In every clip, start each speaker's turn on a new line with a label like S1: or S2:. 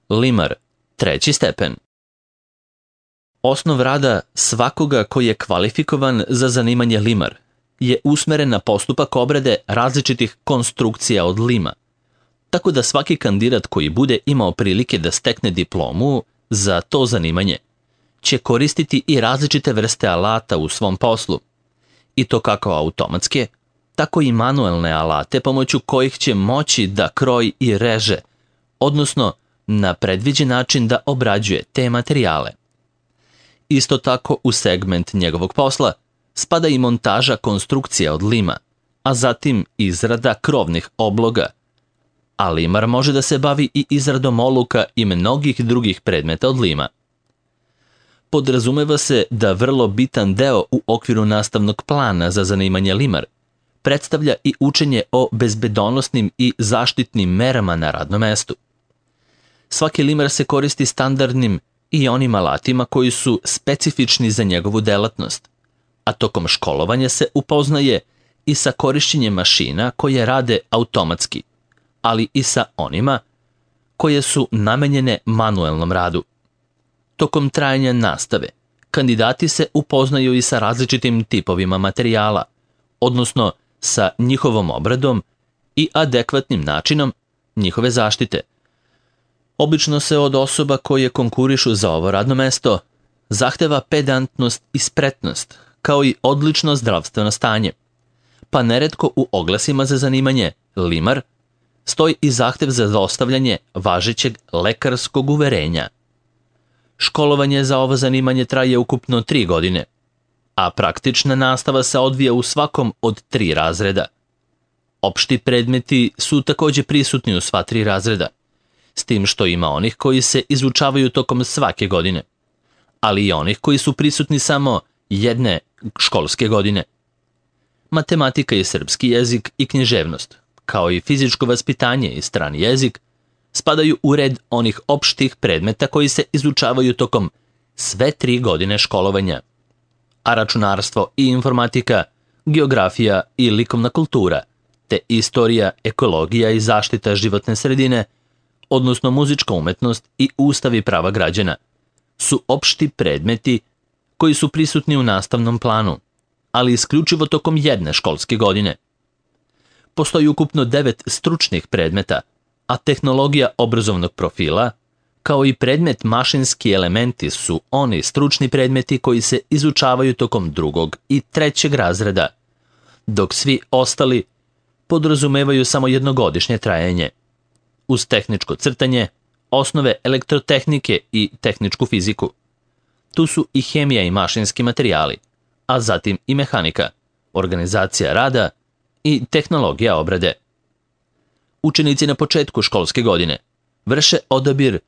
S1: Limar, 3. stepen. Osnov rada svakoga koji je kvalifikovan za zanimanje limar je usmeren na postupak obrade različitih konstrukcija od lima, tako da svaki kandidat koji bude imao prilike da stekne diplomu za to zanimanje će koristiti i različite vrste alata u svom poslu, i to kako automatske, tako i manuelne alate pomoću kojih će moći da kroji i reže, odnosno na predviđen način da obrađuje te materijale. Isto tako u segment njegovog posla spada i montaža konstrukcija od lima, a zatim izrada krovnih obloga, a limar može da se bavi i izradom oluka i mnogih drugih predmeta od lima. Podrazumeva se da vrlo bitan deo u okviru nastavnog plana za zanimanje limar predstavlja i učenje o bezbedonosnim i zaštitnim merama na radnom mestu. Svaki limar se koristi standardnim i onim alatima koji su specifični za njegovu delatnost, a tokom školovanja se upoznaje i sa korišćenjem mašina koje rade automatski, ali i sa onima koje su namenjene manuelnom radu. Tokom trajanja nastave, kandidati se upoznaju i sa različitim tipovima materijala, odnosno sa njihovom obradom i adekvatnim načinom njihove zaštite. Obično se od osoba koje konkurišu za ovo radno mesto zahteva pedantnost i spretnost, kao i odlično zdravstveno stanje, pa neretko u oglasima za zanimanje limar stoji i zahtev za dostavljanje važećeg lekarskog uverenja. Školovanje za ovo zanimanje traje ukupno 3 godine, a praktična nastava se odvija u svakom od 3 razreda. Opšti predmeti su takođe prisutni u sva 3 razreda, s tim što ima onih koji se izučavaju tokom svake godine, ali i onih koji su prisutni samo jedne školske godine. Matematika i srpski jezik i književnost, kao i fizičko vaspitanje i strani jezik, spadaju u red onih opštih predmeta koji se izučavaju tokom sve 3 godine školovanja, a računarstvo i informatika, geografija i likovna kultura, te istorija, ekologija i zaštita životne sredine, odnosno muzička umetnost i ustav i prava građana, su opšti predmeti koji su prisutni u nastavnom planu, ali isključivo tokom jedne školske godine. Postoji ukupno 9 stručnih predmeta, a tehnologija obrazovnog profila, kao i predmet mašinski elementi su oni stručni predmeti koji se izučavaju tokom 2. i 3. razreda, dok svi ostali podrazumevaju samo jednogodišnje trajanje, uz tehničko crtanje, osnove elektrotehnike i tehničku fiziku. Tu su i hemija i mašinski materijali, a zatim i mehanika, organizacija rada i tehnologija obrade. Učenici na početku školske godine vrše odabir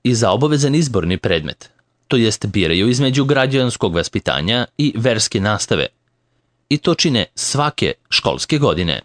S1: i za obavezan izborni predmet, to jest biraju između građanskog vaspitanja i verske nastave, i to čine svake školske godine.